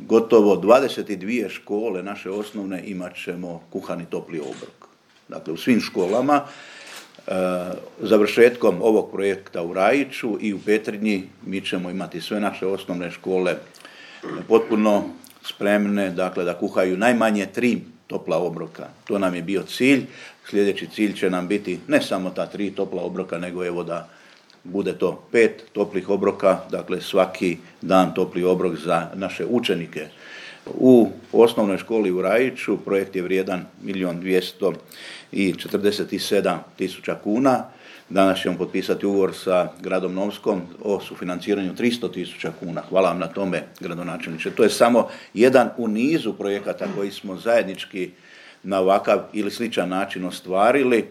gotovo 22 škole naše osnovne imat ćemo kuhani topli obrok. Dakle, u svim školama, završetkom ovog projekta u Rajiću i u Petrinji mi ćemo imati sve naše osnovne škole potpuno spremne, dakle da kuhaju najmanje 3 topla obroka. To nam je bio cilj. Sljedeći cilj će nam biti ne samo ta 3 topla obroka, nego evo da bude to 5 toplih obroka, dakle svaki dan topli obrok za naše učenike. U osnovnoj školi u Rajiću projekt je vrijedan 1.247.000 kuna. Danas ćemo potpisati ugovor sa gradom Novskom o sufinanciranju 300.000 kuna. Hvala vam na tome, gradonačelniče. To je samo jedan u nizu projekata koji smo zajednički na ovakav ili sličan način ostvarili